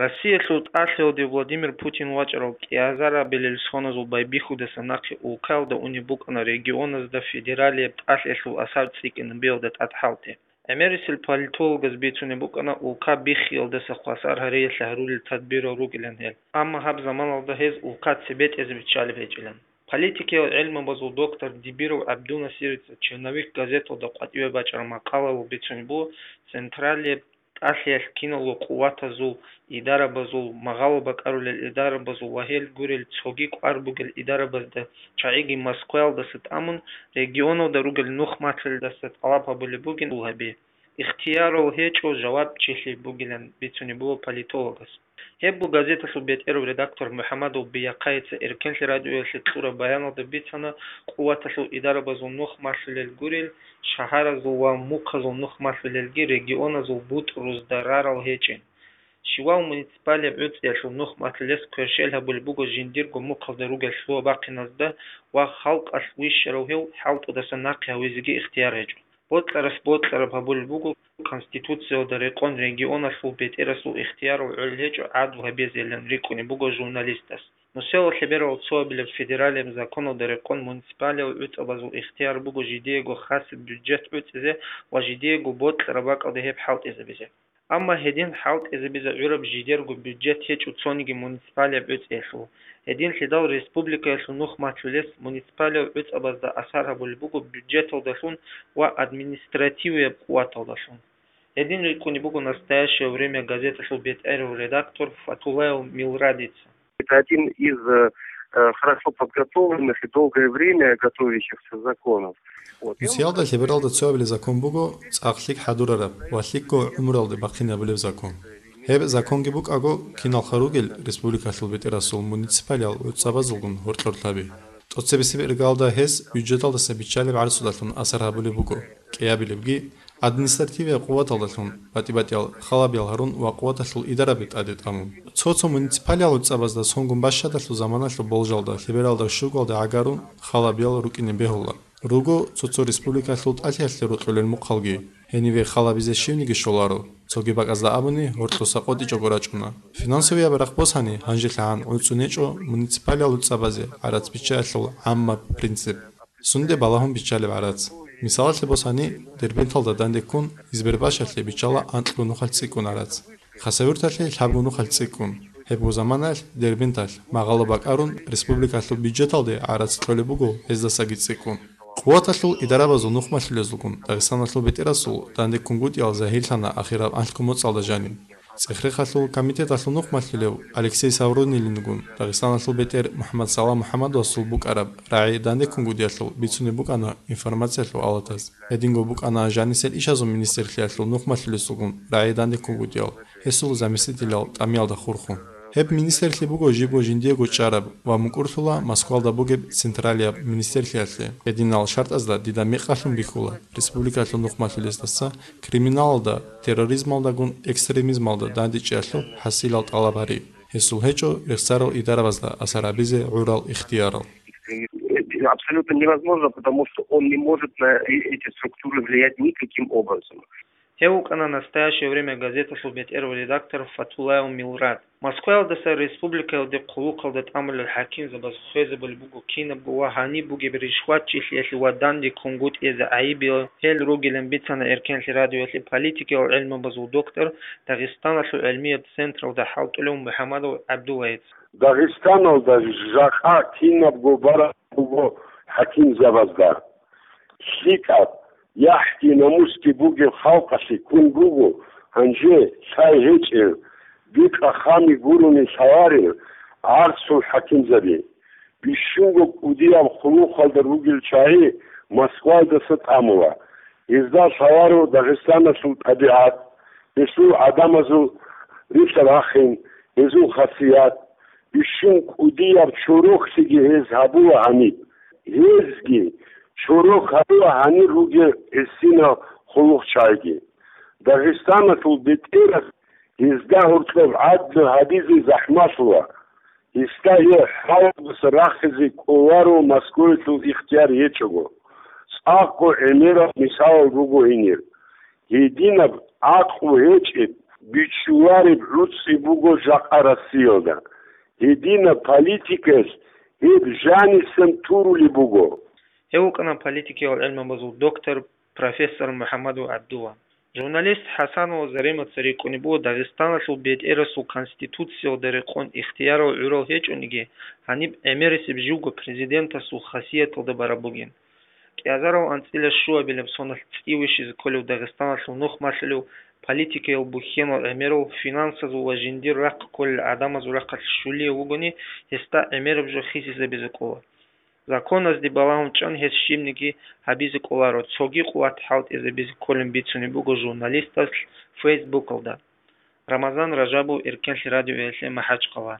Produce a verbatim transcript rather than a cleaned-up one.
Россиялъул тӀалъиялде Владимир Путин вачӀарал кӀиазарабилел соназул байбихьудаса нахъе улкаялда унеб букӀана регионазда федералияб тӀалъиялъул асар цӀикӀкӀинабиялда тӀад хӀалтӀи. ГӀемерисел политологаз бицунеб букӀана улка биххиялдаса хвасар гьариялъе гьарулел тадбирал ругилан гьел, амма гьаб заманалда гьез улка цебетӀезе биччалеб гьечӀилан. Политикиял гӀелмабазул доктор Дибиров ГӀабдунасирица «Черновик» газеталда къватӀиве бачӀараб макъалаялъ бицунеб буго, централияб тӀалъиялъ киналго къуватазул, идарабазул, магъало бакӀарулел идарабазул ва гьел гурел цоги кӀвар бугел идарабазда чагӀиги Москваялдаса тӀамун, регионалда ругел нухмалъулелдаса тӀалаб гьабулеб бугин гьабе. Ихтиярал гьечӀо жавабчилъи бугилан бицунеб буго политологас. Гьеб буго газеталъул бетӀерав редактор МухӀамадов Бияхъайица Эркенлъи радиоялъе кьураб баяналда бицана, къуваталъул идарабазул нухмалъулел гурел, шагьаразул ва мухъазул нухмалъулелги регионазул бутӀрузда рарал гьечӀин. Щивав муниципалияб гӀуцӀиялъул нухмалъулес кверщел гьабулеб буго жиндирго мухъалда ругел лъугьа-бахъиназда ва халкъалъ вищарав гьев хӀалтӀудаса нахъе гьавизеги ихтияр гьечӀо. Бокьарас бокьараб гьабулеб буго, Конституциялда рекъон регионалъул бетӀерасул ихтиярал гӀолеб гьечӀо гӀадлу гьабизейилан рикӀкӀунеб буго журналистас. Нусиялда лъеберал цоабилеб федералияб законалда рекъон муниципалиял гӀуцӀабазул ихтияр буго жидеего хасаб бюджет гӀуцӀизе ва жидеего бокьараб бакӀалде гьеб хӀалтӀизабизе. Амма гьедин хӀалтӀизабизе гӀураб жидерго бюджет гьечӀо цониги муниципалияб гӀуцӀиялъул. Гьединлъидал республикаялъул нухмалъулес муниципалиял гӀуцӀабазда асар гьабулеб буго бюджеталдалъун ва административияб къуваталдалъун. Гьедин рикӀкӀунеб буго «Настоящее время» газеталъул бетӀерав редактор Фатулаев Милрадица. Это один из э, э, хорошо подготовленных и долгое время готовящихся законов. Вот. И он Русиялда лъебералда цоабилеб закон буго цӀакъ лъикӀ хӀадурараб ва лъикӀго гӀумруялде бахъинабулеб закон. Гьеб законги букӀаго, киналха ругел республикалъул бетӀерасул муниципалиял гӀуцӀабазулгун гьоркьор лъаби. ТӀоцебесеб иргаялда гьез бюджеталдаса биччалеб гӀарцудалъун асар гьабулеб буго, кӀиабилебги, административияб къуваталдалъун, батӀи-батӀиял халабиял гьарун ва къуваталъул идараби тӀаде тӀамун. Цо-цо муниципалиял гӀуцӀабазда сонгун бащадалъул заманалъул болжалда лъебералда щугалде гӀагарун халабиял рукӀине бегьула. Руго цо-цо республикалъул тӀалъиялъе рокьулел мухъалги. Гьениве халабизе щивниги щоларо, цоги бакӀазда абуни гьоркьоса къотӀичӀого рачӀуна. Финансовияб рахъ босани, гьанжелъагӀан гӀуцӀунечӀо муниципалиял гӀуцӀабазе гӀарац биччаялъул гӀаммаб принцип. Сунде балагьун биччалеб гӀарац. Мисалалъе босани, Дербенталда данде ккун Избербашалъе биччала анкьго нухалъ цӀикӀкӀун гӀарац. Хасавюрталъе лъабго нухалъ цӀикӀкӀун. Гьебго заманаялъ Дербенталъ, магъало бакӀарун, республикалъул бюджеталде гӀарац кьолеб буго гьездасаги цӀикӀкӀун. Къуваталъул идарабазул нухмалъулезулгун Дагъистаналъул бетӀерасул данде ккунгутӀиял загьирлъана ахираб анлъго моцӀалда жаниб. ЦӀехрехалъул комитеталъул нухмалъулев Алексей Саврунилингун Дагъистаналъул бетӀер МухӀаммад Салам МухӀаммадовасул букӀараб рагӀи данде ккунгутӀиялъул бицунеб букӀана информациялъул алатаз. Гьединго букӀана жанисел ишазул министрлъиялъул нухмалъулесулгун рагӀи данде ккунгутӀиял, гьесул заместителял тӀамиялда хурхун. Гьеб министрлъи буго жибго жиндиего чӀараб ва мукӀурлъула Москвалда бугеб централияб министрлъиялъе. Гьединал шартӀазда дида мекъалъун бихьула республикалъул нухмалъулесдаса криминалалда, терроризмалдагун экстремизмалда дандечӀеялъул хӀасилал тӀалаб гьари. Гьесул гьечӀо рехсарал идарабазда асар гьабизе гӀурал ихтиярал. Абсолютно невозможно, потому что он не может на э- эти структуры влиять никаким образом. Гьев вукӀана «Настоящее время» газеталъул бетӀерав редактор Фатулаев Милрад. Москваялдаса республикаялде хъулухъалда тӀамулел хӀакимзабаз хвезабулеб буго кинабго ва гьаниб бугеб ришватчилъиялъе ва данде ккунгутӀиялъе гӀайибиял гьел ругилан бицана Эркенлъи радиоялъе политикиял гӀелмабазул доктор, Дагъистаналъул гӀелмияб централда хӀалтӀулев МухӀамадов ГӀабдуллаец. Дагъистаналда жакъа кинабго бараб буго хӀакимзабазда. ЛъикӀаб, яхӀги-намусги бугеб халкъалъе ккун буго гьанже лъай гьечӀел, бикъа-хами гурони лъаларел гӀарцул хӀакимзаби. Бищунго кӀудияб хъулухъалда ругел чагӀи Москваялдаса тӀамула. Гьезда лъаларо Дагъистаналъул тӀабигӀат, гьелъул гӀадамазул рилълъа-рахин, гьезул хасият. Бищун кӀудияб чорохлъиги гьез гьабула гьаниб. Гьезги чорох гьабула гьанир ругел гӀисинал хъулухъчагӀиги. Дагъистаналъул бетӀерас гьезда гьоркьоб гӀадлу гьабизе захӀмалъула. Гьесда гьеб хӀалалдаса рахизе кӀоларо Москваялъул ихтияр гьечӀого. ЦӀакъго гӀемерал мисалал руго гьенир. Гьединаб гӀакълу гьечӀеб, Бичулареб гӀуцӀи буго жакъа Россиялда. Гьединаб политикаялъ гьеб жанисан турулеб буго. Гьев вукӀана политикиял гӀелмабазул доктор, профессор МухӀаммадов ГӀабдулла. Журналист ХӀасанова Заремаца рикӀкӀунеб буго Дагъистаналъул бетӀерасул Конституциялда рекъон ихтиярал гӀурал гьечӀониги, гьаниб гӀемерисеб живго президентасул хасияталда бараб бугин. КӀиазарал анцӀила щуабилеб соналъ цӀи вищизе кколев Дагъистаналъул нух малъулев политикиял бухьенал гӀемерал финансазул ва жиндир рахъ кколел гӀадамазул рахъалъ щулияв вугони, гьесда гӀемераб жо хисизабизе кӀола. Законазде балагьун чӀун гьес щибниги гьабизе кӀоларо, цоги къуват хӀалтӀизабизе кколин бицунеб буго журналистас Фейсбукалда. Рамазан Ражабов, Эркенлъи радиоялъе МахӀачкъала.